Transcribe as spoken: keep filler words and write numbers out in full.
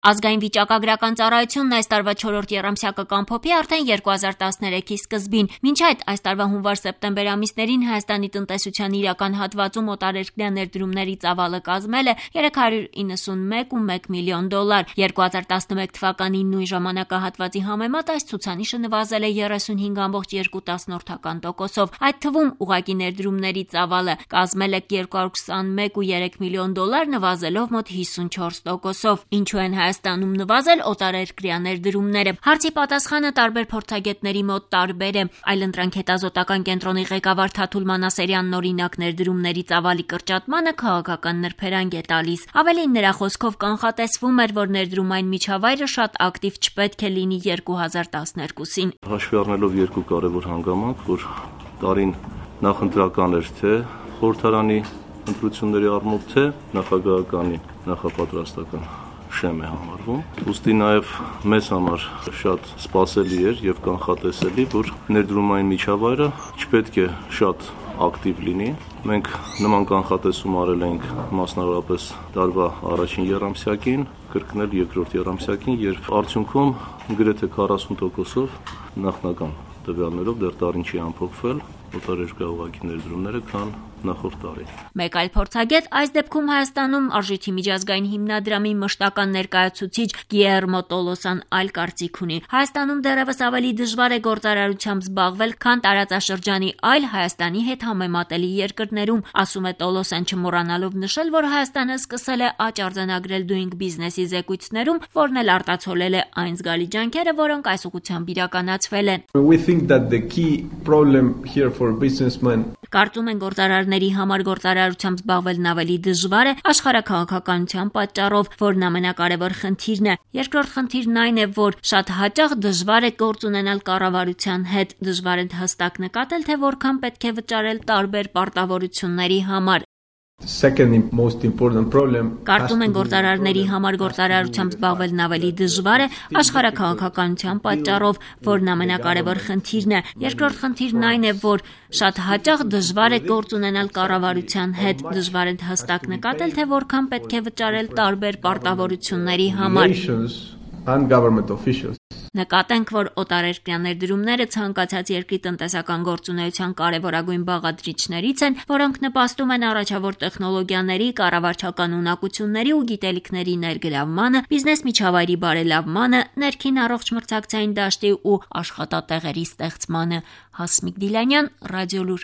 Ազգային վիճակագրական ծառայությունն այս տարվա չորրորդ եռամսյակը կամփոփի արդեն երկու հազար տասներեքի սկզբին։ Մինչ այդ այս տարվա հունվար-սեպտեմբեր ամիսներին Հայաստանի տնտեսության իրական հատվածում օտարերկրյա ներդրումների ծավալը կազմել է երեք հարյուր իննսունմեկ կόμμα մեկ միլիոն դոլար։ երկու հազար տասնմեկ թվականի նույն ժամանակահատվածի համեմատ այս ցուցանիշը նվազել է երեսունհինգ կόμma երկու տոկոսով։ Այդ թվում ուղղակի ներդրումների ծավալը կազմել է երկու հարյուր քսանմեկ կόμma երեք միլիոն դոլար, նվազելով մոտ հիսունչորս տոկոսով։ Ինչու են Հայաստանում նվազել օտարերկրյա ներդրումները։ Հարցի պատասխանը տարբեր փորձագետների մոտ տարբեր է։ Այլընտրանք հետազոտական կենտրոնի ղեկավար Թաթուլ Մանասերյանն օրինակ ներդրումների ծավալի կրճատմանը քաղաքական նրբերանգ է տալիս։ Ավելին նրա խոսքով կանխատեսվում էր, որ ներդրումային միջավայրը շատ ակտիվ չպետք է լինի երկու հազար տասներկուսին։ Հաշվի առնելով երկու կարևոր հանգամանք, որ տարին նախընտրական էր, թե խորհրդարանի ընտրությունների առումով, թե նախագահականի նախապատրաստական շեմ է համարվում։ Ուստի նաև մեզ համար շատ սպասելի էր եւ կանխատեսելի, որ ներդրումային միջավայրը չպետք է շատ ակտիվ լինի։ Մենք նման կանխատեսում արել ենք մասնավորապես տարվա առաջին եռամսյակին, կրկնել երկրորդ եռամսյակին, երբ արդյունքում գրեթե քառասուն տոկոսով նախնական տվյալներով դեռ տարին չի ամփոփվել օտարերկրյա ուղղակի ներդրումները, քան նախորդ տարի։ Մեկ այլ փորձագետ այս դեպքում Հայաստանում արժույթի միջազգային հիմնադրամի մշտական ներկայացուցիչ Գիերմո Տոլոսան այլ կարծիք ունի։ Հայաստանում դեռևս ավելի դժվար է գործարարությամբ զբաղվել, քան տարածաշրջանի այլ Հայաստանի հետ համեմատելի երկրներում, ասում է Տոլոսան, չմոռանալով նշել, որ Հայաստանը սկսել է աճ արձանագրել Doing Business-ի զեկույցներում, որն էլ արտացոլել է այն զգալի ջանքերը, որոնք այս ուղղությամբ իրականացվել են։ We think that the key problem here for businessmen Կարծում են գործարարների համար գործարարությամբ զբաղվելն ավելի դժվար է աշխարհաքաղաքականության պատճառով, որն ամենակարևոր խնդիրն է։ Երկրորդ խնդիրն այն է, որ շատ հաճախ դժվար է գործ ունենալ կառավարության հետ, դժվար է հստակ նկատել, թե որքան պետք է վճարել տարբեր պարտավորությունների համար։ Second most important problem Կարծում են գործարարների համար գործարարությամբ զբաղվելն ավելի դժվար է աշխարհաքաղաքականության պատճառով, որն ամենակարևոր խնդիրն է։ Երկրորդ խնդիրն այն է, որ շատ հաճախ դժվար է գործ ունենալ կառավարության հետ, դժվար է հստակ նկատել, թե որքան պետք է վճարել տարբեր պարտավորությունների համար։ And government officials. Նկատենք, որ օտարերկրյա ներդրումները ցանկացած երկրի տնտեսական գործունեության կարևորագույն բաղադրիչներից են, որոնք նպաստում են առաջավոր տեխնոլոգիաների, կառավարչական ունակությունների ու գիտելիքների ներգրավմանը, բիզնես միջավայրի բարելավմանը, ներքին առողջ մրցակցային դաշտի ու աշխատատեղերի ստեղծմանը։ Հասմիկ Դիլանյան, Ռադիոլուր։